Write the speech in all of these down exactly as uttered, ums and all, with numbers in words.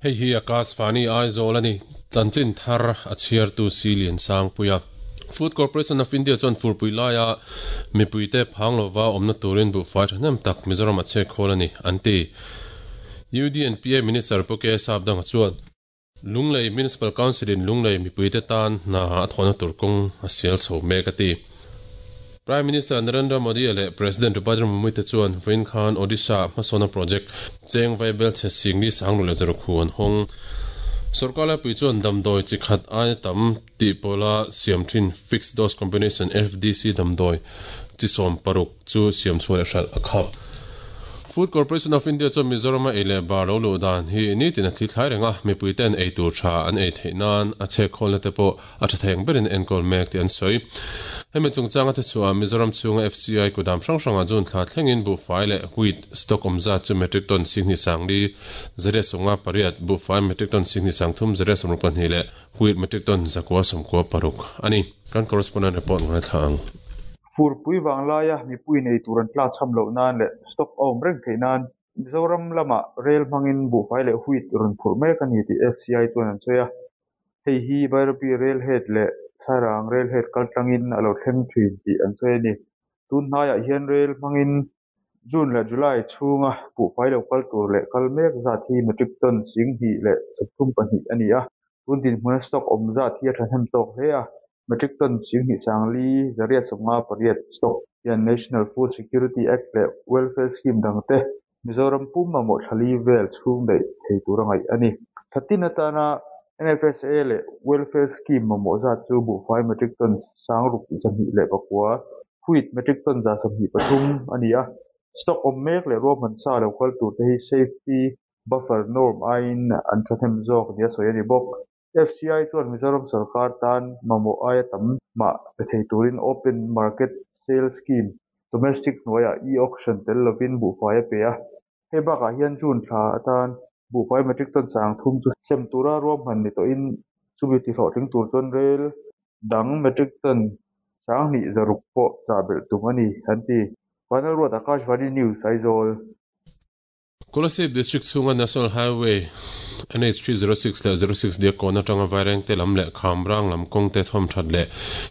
Hei hi Akashvani Aizawl ani chanchin thar a chhiar tu Silian Sangpuia. Food Corporation of India chuan furpui laia mipuite phang lova awmna turin buhfai thahnem tak Mizoram a chhek khawl ani an ti. U D N P A Minister Puke Sapdanga chuan Lunglei Municipal Council in Lunglei mipuite tan hna a thawhna tur kawng a sial chho mek a ti. Prime Minister Narendra Modi le President Draupadi Murmu te chuan Vain Khan Odisha hmasawna project cheng vaibel chhe singli sanglu le zarukhu an hawng. Sarkar laipui chuan damdawi chi khat aia tam tih pawla siam thin fixed dose combination F D C damdawi chi sawm paruk chu siam chhuah leh hralh a khap. Food Corporation of India chuan Mizoram a ei leh bar lo luh dan hi nitin a thli thlai reng a, mipui ten ei tur tha an ei theih nan a chhek khawlna te pawh a tha thei ang berin enkawl mek tih an sawi. Hemi chungchanga te chhuah Mizoram chhunga F C I kudam hrang hranga June thla thlengin buhfai leh wheat stock awmzat chu metric ton singhnih sangli zariat sawmnga pariat, buhfai metric ton singhnih sangthum zariat sawmruk pahnih leh wheat metric ton zakua sawmkua paruk ani. Kan correspondent report ngai thla ang. Furpui wanglaia mipui nei tur an tla cham loh nan leh stock a awm reng theih nan Mizoram lama rail hmangin buhfai leh wheat rawn phurh mek ani tih F C I chuan an sawi a. Hei hi Bairabi rail head leh Sairang rail head kaltlangin a lo thleng thin tih an sawi ani. Tun hnaiah hian rail hmangin June leh July chhunga buhfai lo kal tur leh kal mek zat hi metric ton singhnih leh sawmthum pahnih ani a. Tun dinhmuna stock awm zat hi a thahnem tawk hle a. Metric ton singhnih sangli zariat sawmnga pariat stock hian National Food Security Act leh Welfare Scheme dangte Mizoram pum mamawh thlali vel chhung daih thei tur a ngaih ani. Thatin atana N F S A leh Welfare Scheme mamawh zat chu buhfai metric ton sangruk zahnih leh pakua, wheat metric ton za sawmhnih pathum ani a. Stock awm mek leh ruahman sa lo kal tur te hi safety buffer norm aiin an thahnem zawk nia sawi ani bawk. F C I chuan Mizoram sarkar tan mamawh aia tam mah pe thei turin open market sale scheme domestic hnuaiah e-auction tel lovin buhfai a pe a. Hei bakah hian June thla atan buhfai metric ton sang thum chu sem tura ruahman ni tawhin chumi ti hlawhtling tur chuan rail dang metric ton sanghnih zaruk pawh chah belh tum ani an ti. Final Road Akashvani News Aizawl. Kolasib District chhunga National Highway N H three zero six leh zero six dia kawna tanga vaireng te lam leh khamrang lam kawng te thawm that leh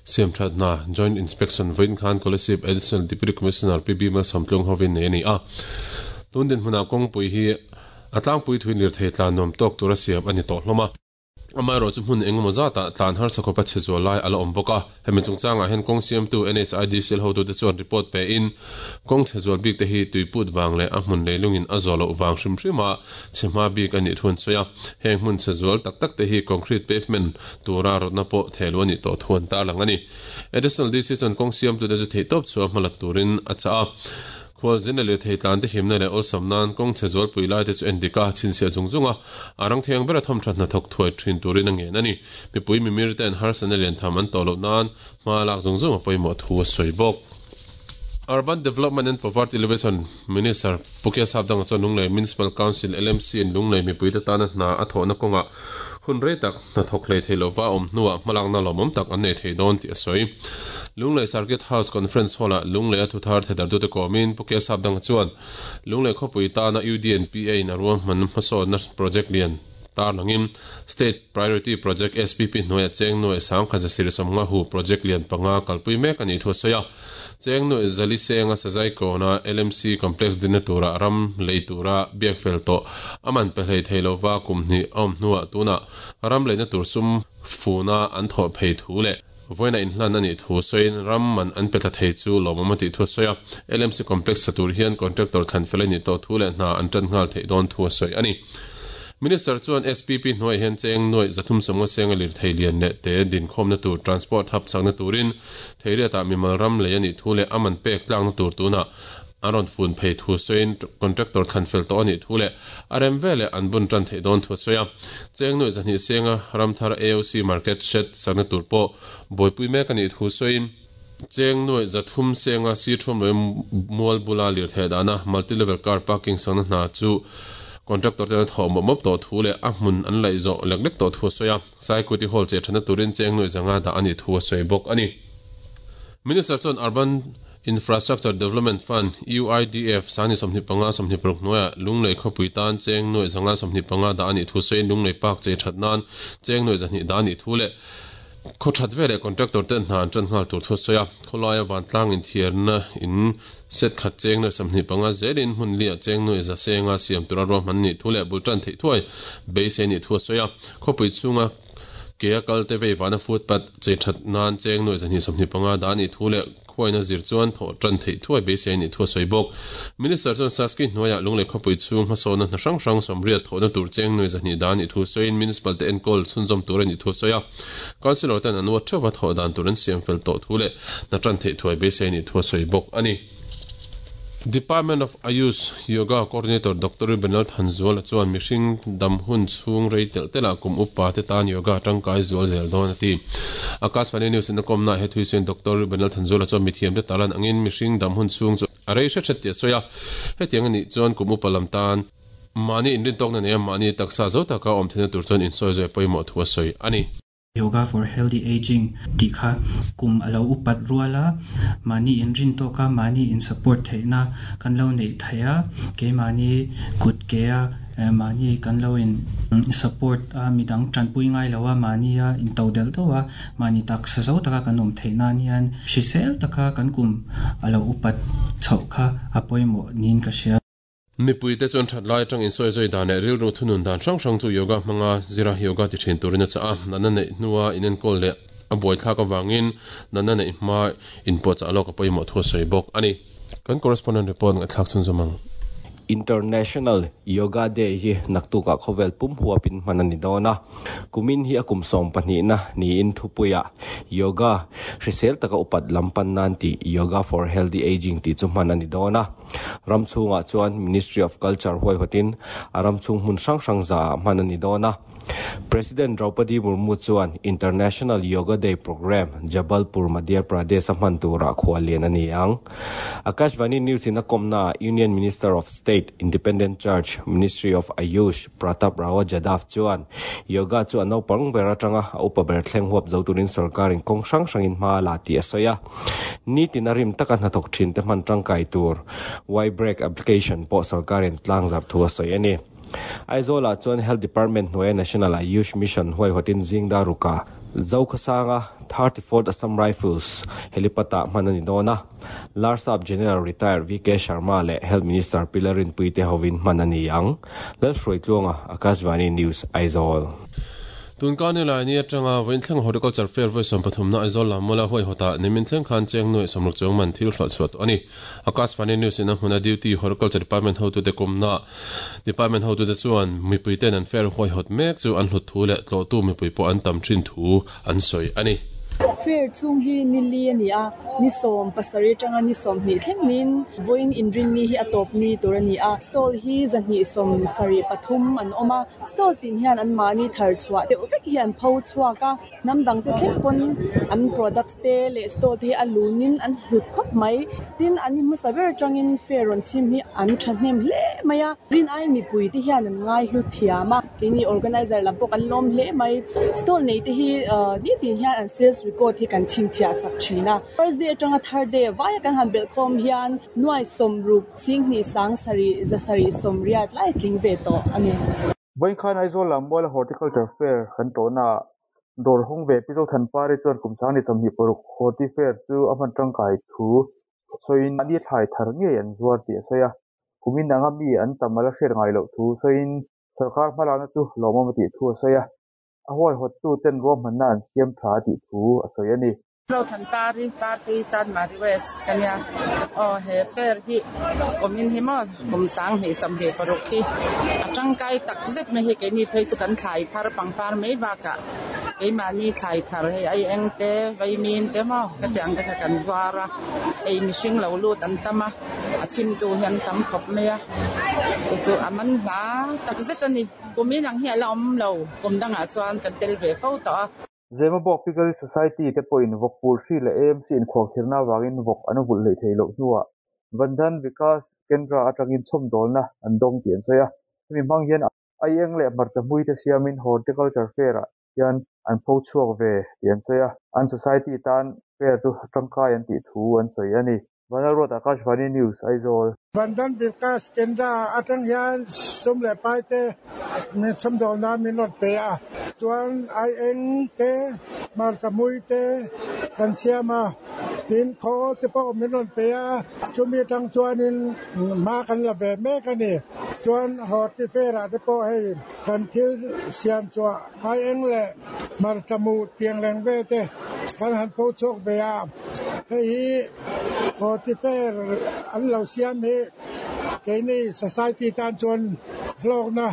siam that na Joint Inspection vawiin khan Kolasib Additional Deputy Commissioner P B Malsawmtlung hovin nei ani a. Tun din hmuna kawngpui hi a tlangpui thuin lir thei tlan nuam tawk tura siam ani tawh hlawm a. Amaherawh chu hmun engemaw zatah tlan harsa khawpa chhe zual lai a la awm bawk a. Hemi chungchangah hian kawng siamtu N H I D C L hotu te chuan report pe in kawng chhe zual bik te hi tuiput wang leh a hmun leilungin a zawh loh wang hrim hrim a chhe hma bik ani thuan sawi a. Heng hmun chhe zual tak tak te hi concrete pavement tura rawtna pawh thehlu ani tawh thuan ta lang ani. Additional D C chuan kawng siamtu te chu theih tawp chu a hmalat turin a chah a. Khual zin le thei tlan te himna leh awlsam nan kawng chhe zual pui lai te chu endika chhinchhiah zung zung a. A rang thiang ber a thawm that hna thawk thuai thin turin a ngen ani. Mipui mimir te an harsana lian tham an tawh loh nan hma lak zung zung a pawimawh thu a sawi bawk. Urban Development and Poverty Alleviation Minister Pukia Sapdanga chuan Lunglei Municipal Council L M C in Lunglei mipui te tana hna a thawhna kawnga hun rei tak hna thawk hlei thei lova awm hnuah hmalakna lawmawm tak an nei thei dawn tih a sawi. Lunglei Circuit House Conference Hall-ah Lunglei a thuthar thedar tu te kawmin Pukia Sapdanga chuan Lunglei khawpui tana U D N P A in a ruahman hmasawnna project lian tar langin State Priority Project S P P hnuaiah cheng nuai sangkhat zasir sawmnga hu project lian panga kalpui mek ani thu a sawi a. Cheng nuai zali senga sazai kawna L M C complex dinna tura ram lei tura biak fel tawh aman pe hlei thei lova kumhni a awm hnuah tuna ram leina tur sum funa an thawh phei thu leh vawiina inhlan ani thu sawiin ram man an pe thla thei chu lawmawm a tih thu a sawi a. L M C complex sa tur hian contractor thlan fel ani tawh thu leh hna an tan nghal theih dawn thu a sawi ani. Minister chuan S P P hnuai hian cheng nuai zathum sawmnga senga lir thei lian leh te din khawmna tur transport hub chakna turin theiriatah mimal ram lei ani thu leh aman pek tlakna tur tuna an rawn fun phei thu sawiin contractor thlan fel tawh ani thu leh a rem veleh an bun tan theih dawn thu a sawi a. Cheng nuai zahnih senga ramthar A O C market shed chakna tur pawh buaipui mek ani thu sawiin cheng nuai zathum senga si thum loi mual bula lir thei dana multi level car parking sakna hna chu contractor te thawh mawp mawp tawh thu leh a hmun an laih zawh lek lek tawh thu a sawi a. Saikuti hall che thana turin cheng nuai zanga dah ani thu a sawi bawk ani. Minister chuan Urban Infrastructure Development Fund U I D F sani somni panga somni paruk noya lunglei khopui tan cheng noi zanga somni panga da ani thu sein lunglei park che thatnan cheng noi zani da ani thu le khothat vele contractor ten hnan tran ngal tur thu soya kholaya van tlang in thiarna in set khat cheng noi samni panga zelin hun lia cheng noi za senga siam tura ro man ni thule bultan thei thuai beise ni thu soya khopui chunga ke akal te vei vana footpath che that nan cheng noi zani samni panga da ni thule khoina zir chuan tho tran thei thuai beise ni thu soibok minister chuan saski noya lungle khopui chung hmasona na hrang hrang samriat thona tur cheng noi zani da ni thu soin municipal te enkol chunzom tur ni thu soya councilor ten anwa thewa tho dan turan siam fel to thule na tran thei thuai beise ni thu soibok ani. Department of Ayush Yoga Coordinator Doctor Benal Thanzuala chuan mihring dam hun chung reitel tela kum upa te tan yoga tangkai zual zel don ati Akashvani News in kom na he thuisen Doctor Benal Thanzuala chuan mithiam te talan angin mihring dam hun chung chu arei hre thet te soya hetiang ani chuan kum upa lam tan mani inrin tok na ne mani taksa zo taka om thena tur chuan in soi zoi poimo thua soi ani. Yoga for healthy aging ti kha kum alo upat ruala mani in rin to ka mani in support theina kan lo nei thaya ke mani kut ke a mani kan lo in support a midang tranpui ngai lawa mani a in todel to wa mani tak sa zo taka kan om theina nian shisel taka kan kum alo upat chau kha apoimo nin ka sia. Mipui te chuan that lai tang in soi zoi dan e ril ru thunun dan hrang hrang chu yoga hmanga zira yoga ti thin turin cha a nana nei nuwa inen kol le a boi thla ka wangin nana nei ma in po cha lok apoimo thu soi bok ani kan correspondent report nga thlak chun zomang. International Yoga Day hi naktuka khovel pum huapin manani dona kumin hi akum som pahnih na ni in thupuya yoga hrisel taka upat lampan nan ti yoga for healthy aging ti chu manani dona ramchunga chuan Ministry of Culture huai hotin aramchung hun sang sang za manani dona President Draupadi Murmu chuan International Yoga Day program Jabalpur Madhya Pradesh man tura khwalian ani ang. Akashvani News in akomna Union Minister of State Independent Charge Ministry of Ayush Pratap Rao Jadhav chuan yoga chu anau pang bera tanga upa ber thleng huap zo turin sarkarin kong sang sangin ma la ti asoya ni tinarim takan hathok thin te man tangkai tur Y break application po sarkarin tlang zar thu asoya ni. Aizola chuan Health Department hnuaia National Ayush Mission huai hotin zingda ruka Zokhasanga thirty-fourth Assam Rifles helipata manani dona Larsap General Retired V K Sharma le Health Minister Pilarin Puite hovin manani ang Lalhruaitluanga Akashvani News Aizawl. Tunkani lai ni atanga voin thleng horticulture fair voi som pathum na Aizawl lamola hoi hota nimin thleng khan cheng noi somruk chong man thil hla chuat ani Akashvani News in huna duty horticulture department ho tu te kumna department ho tu te chuan mipui ten an fair hoi hot mek chu an hlut thu le tlo tu mipui po an tam thin thu an soi ani. Fair chung hi nili ani a ni som pasari tanga ni som ni thleng nin voin in ring ni hi atop ni turani a stall hi zani som sari pathum an oma stall tin hian an mani thar chwa te vek hi an pho chwa ka namdang te thleng pon an products te le stall te alunin an hlut khop mai tin ani hmasaber tangin fair ron chim hi an thahnem hle maya rin ai mi pui te hian an ngai hlu thiama keni organizer lampok an lom hle mai stall nei te hi ni tin hian an sales record hi kan chingchia sak thina first day atanga third day vaya kan han bel khom hian nuai somrup singni sang sari zasari somriat lai tling ve to ani voin khan Aizawl lammual horticulture fair kan to na dor hong ve pizo than pari chuan kum sang ni chamhi poruk horti fair chu aman tangkai thu soin ani thai thar nge an zuar ti soya kumin anga mi an tamala sher ngai lo thu soin sarkar hmalana chu lomamati thu soya a huai hot tu ten rom man nan siam tha ti thu a soi ani zo than pari party chan mari west kanya o he fair hi komin hi mo kum sang ni sam he paruk hi atang kai tak zet me hi ke ni phei chu kan thai thar pangpar mei ba ka ke ma ni thai thar he ai eng te vai min te mo ka tiang ka kan zwara ei mishing lo lu tan tama a chim tu hian tam khop me a chu chu aman la tak zet ani kumin ang hi ala om lo kum danga chuan kan tel ve fo to. Zemabawk Pickle Society te pawhin vawk pul hri leh A M C in khualkhirna wangin vawk an vul hlei thei loh hnuah Bandhan Vikas Kendra atangin chhawmdawlna an dawng tih an sawi a hemi hmang hian ai eng leh hmarcha hmui te siamin horticulture fair ah hian an pho chhuak ve tih an sawi a an society tan fair chu tangkai an tih thu an sawi ani. Vanlalruat Akashvani News Aizawl. Bandhan Vikas Kendra atang hian sum leh pai te min chhawmdawl nan min rawn pe a chuan ai eng te hmarcha mui te kan siam a tin khaw te pawh min rawn pe a chumi atang chuanin hma kan la ve mek a ni chuan horti fair ah te pawh hei kan thil siam chhuah ai eng leh hmarcha mu tiang reng vel te kan han pho chhuak ve a hei hi horti fair an lo siam hi keini society tan chuan hlawkna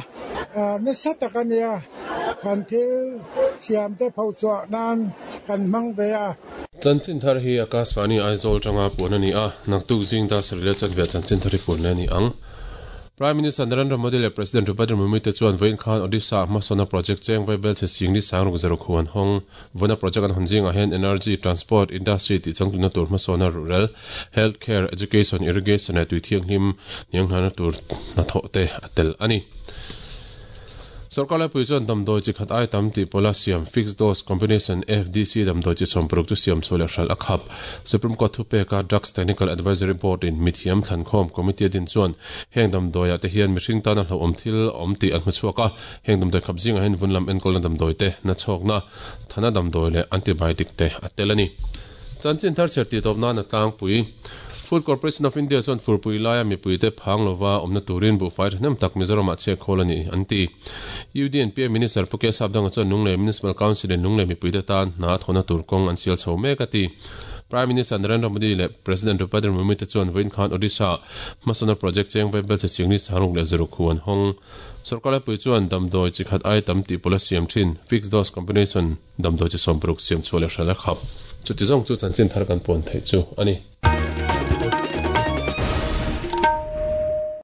nasa tak a nia kan thil siam te pho chhuah nan kan hmang ve a. Chanchin thar hi Akashvani Aizawl tanga puan a ni a, naktuk zing da sarila chan ve chanchin thar hi puan le a ni ang. Prime Minister Narendra Modi leh President Draupadi Murmu te chuan vawiin khan Odisha hmasawna project cheng vaibel che singli sangruk zero khu an hawng. Vawiina project an hawn zingah hian energy, transport, industry tih changtlunna tur hmasawna rural, health care, education, irrigation leh tui thianghlim hnianghnana tur hnathawh te a tel a ni. Sorkar laipui chuan damdawi chi khat ai tam tih pawla siam fixed dose combination F D C damdawi chi sawm paruk chu siam chhuah leh hralh a khap. Supreme Court thupeka Drugs Technical Advisory Board in mithiam thlankhawm committee a din chuan heng damdawiah te hian mihring tana hlauhawm thil awm tih an hmu chhuak a, heng damdawi khap zingah hian vun lam enkawlna damdawi te, nachhawkna, thana damdawi leh antibiotic te a tel a ni. Chanchin thar chher tih tawp nan a tlangpui. Food Corporation of India chuan furpui laia mipuite phang lova awmna turin buhfai thahnem tak Mizoramah chhiat khawl a ni an ti. U D N P A Minister Pu K Sapdanga chuan Lunglei Municipal Council in Lunglei mipuite tan hna thawhna tur kawng an sial chho mek a ti. Prime Minister Narendra Modi leh President Draupadi Murmu te chuan vawiin khan Odisha hmasawna project cheng vaibel che chingni sangruk leh zaruk hu an hawng. Sorkar laipui chuan damdawi chi khat ai tam tih pawla siam thin fixed dose combination damdawi chi sawm paruk siam chhuah leh hralh a khap. Chuti zawng chu chanchin thar kan puan theih chu a ni.